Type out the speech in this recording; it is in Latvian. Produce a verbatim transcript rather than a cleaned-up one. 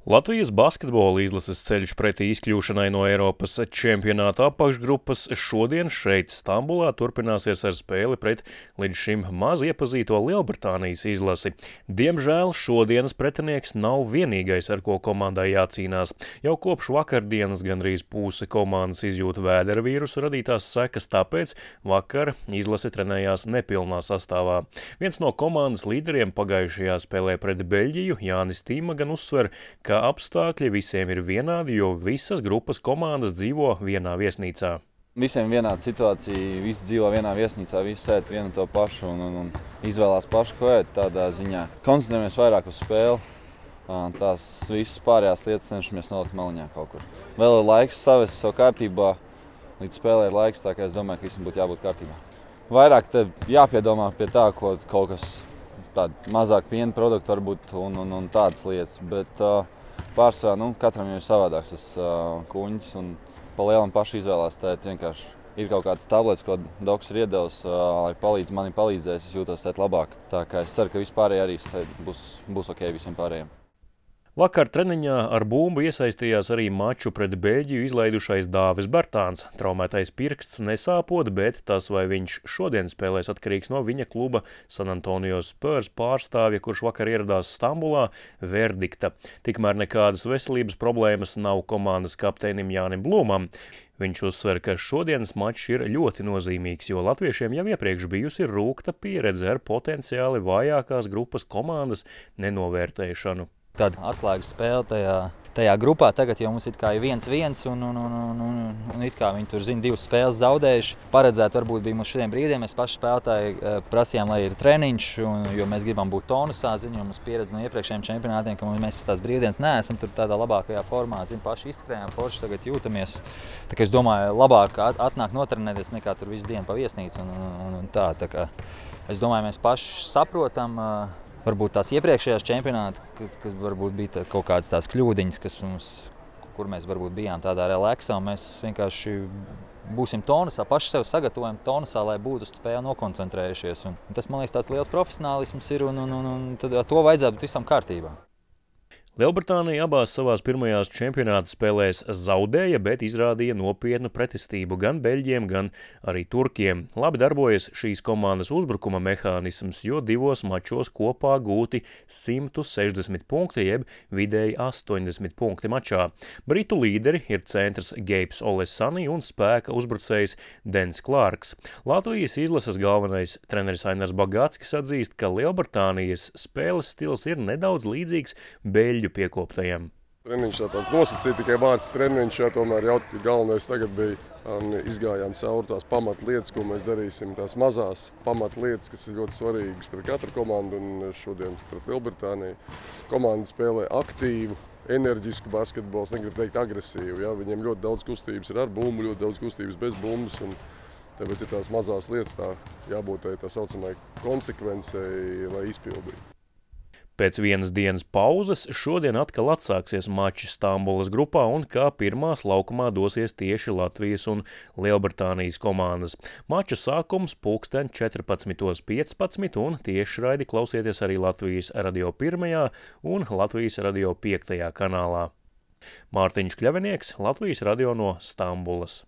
Latvijas basketbola izlases ceļš pretī izkļūšanai no Eiropas čempionāta apakšgrupas šodien šeit Stambulā turpināsies ar spēli pret līdz šim maz iepazīto Lielbritānijas izlasi. Diemžēl šodienas pretinieks nav vienīgais, ar ko komandai jācīnās. Jau kopš vakardienas gandrīz puse komandas izjūt vēdera vīrusu radītās sekas, tāpēc vakar izlase trenējās nepilnā sastāvā. Viens no komandas līderiem pagājušajā spēlē pret Beļģiju, Jānis Tīma, gan uzsver, ka apstākļi visiem ir vienādi, jo visas grupas komandas dzīvo vienā viesnīcā. Visiem vienāda situācija, visi dzīvo vienā viesnīcā, visi ēd vienu to pašu un, un, un izvēlās pašu, ko ēd tādā ziņā. Koncentrējamies vairāk uz spēli, tās visas pārējās lietas cenšamies nolikt maliņā kaut kur. Vēl ir laiks savest savu kārtībā, līdz spēlē ir laiks, tā kā es domāju, ka visam būtu jābūt kārtībā. Vairāk te jāpiedomā pie tā, ko kaut kas tāda mazāk piena produktu varbūt un, un, un tādas lietas, bet uh, pārsvarā, nu, katram ir savādāks tas uh, kuņģis un pa lielam paši izvēlās. Tēt vienkārši ir kaut kāds tablets, ko doks ir iedevis, uh, lai palīdz, mani palīdzēs, es jūtos tēt labāk. Tā kā es ceru, ka vispārēji arī būs, būs ok visiem pārējiem. Vakar treniņā ar bumbu iesaistījās arī maču pret Beļģiju izlaidušais Dāvis Bartāns. Traumētais pirksts nesāpot, bet tas, vai viņš šodien spēlēs, atkarīgs no viņa kluba San Antonio Spurs pārstāvja, kurš vakar ieradās Stambulā, verdikta. Tikmēr nekādas veselības problēmas nav komandas kapteinim Jānim Blūmam. Viņš uzsver, ka šodienas mačs ir ļoti nozīmīgs, jo latviešiem jau iepriekš bijusi rūkta pieredze ar potenciāli vājākās grupas komandas nenovērtēšanu. Tāda atslēgas spēle tajā, tajā grupā. Tagad jau mums it kā ir viens viens un, un, un, un, un, un it kā viņi tur zina divas spēles zaudējuši. Paredzēt varbūt bija mums šodien brīdiem. Mēs paši spēlētāji prasījām, lai ir treniņš, un, jo mēs gribam būt tonusā. Zinu, jo mums pieredze no iepriekšējiem čempionātiem, ka mēs pēc tās brīvdienas neesam tur tādā labākajā formā. Zinu, paši izskrējām, forši tagad jūtamies. Tā kā es domāju, labāk atnāk notrenēties nekā tur visu dienu pa viesnīcu un, un, un tā. Tā kā es domāju, mēs paši saprotam, varbūt tās iepriekšējās čempionāti, kas varbūt bija kaut kādas tās kļūdiņas, kas mums, kur mēs varbūt bijām tādā relaksā, un mēs vienkārši būsim tonusā, paši sev sagatavojam tonusā, lai būtu uz spēli nokoncentrējušies. Un tas, man liekas, tās liels profesionālisms ir, un, un, un, un tad to vajadzētu būt visam kārtībā. Lielbritānija abās savās pirmajās čempionāta spēlēs zaudēja, bet izrādīja nopietnu pretestību gan beļģiem, gan arī turkiem. Labi darbojas šīs komandas uzbrukuma mehānisms, jo divos mačos kopā gūti simt sešdesmit punkti, jeb vidēji astoņdesmit punkti mačā. Britu līderi ir centrs Gejps Olesani un spēka uzbrucējs Dens Klārks. Latvijas izlases galvenais treneris Ainars Bagātskis atzīst, ka Lielbritānijas spēles stils ir nedaudz līdzīgs beļģu piekoptajiem. Treniņš tā tāds nosacīja, tikai vārds treniņš, jā, tomēr jau galvenais tagad bija, un izgājām cauri tās pamatlietas, ko mēs darīsim, tās mazās pamatlietas, kas ir ļoti svarīgas pret katru komandu, un šodien pret Lielbritāniju. Komanda spēlē aktīvu, enerģisku basketbolu, es negribu teikt agresīvu, jā, viņiem ļoti daudz kustības ir ar bumbu, ļoti daudz kustības bez bumbas, un tāpēc ir tās mazās lietas, tā jābūt tā saucamai konsekvencei, lai izpildītu. Pēc vienas dienas pauzes šodien atkal atsāksies mači Stambulas grupā un kā pirmās laukumā dosies tieši Latvijas un Lielbritānijas komandas. Mača sākums pulksten četrpadsmitos piecpadsmit un tiešraidi klausieties arī Latvijas radio pirmajā un Latvijas radio piektajā kanālā. Mārtiņš Kļavinieks, Latvijas radio no Stambulas.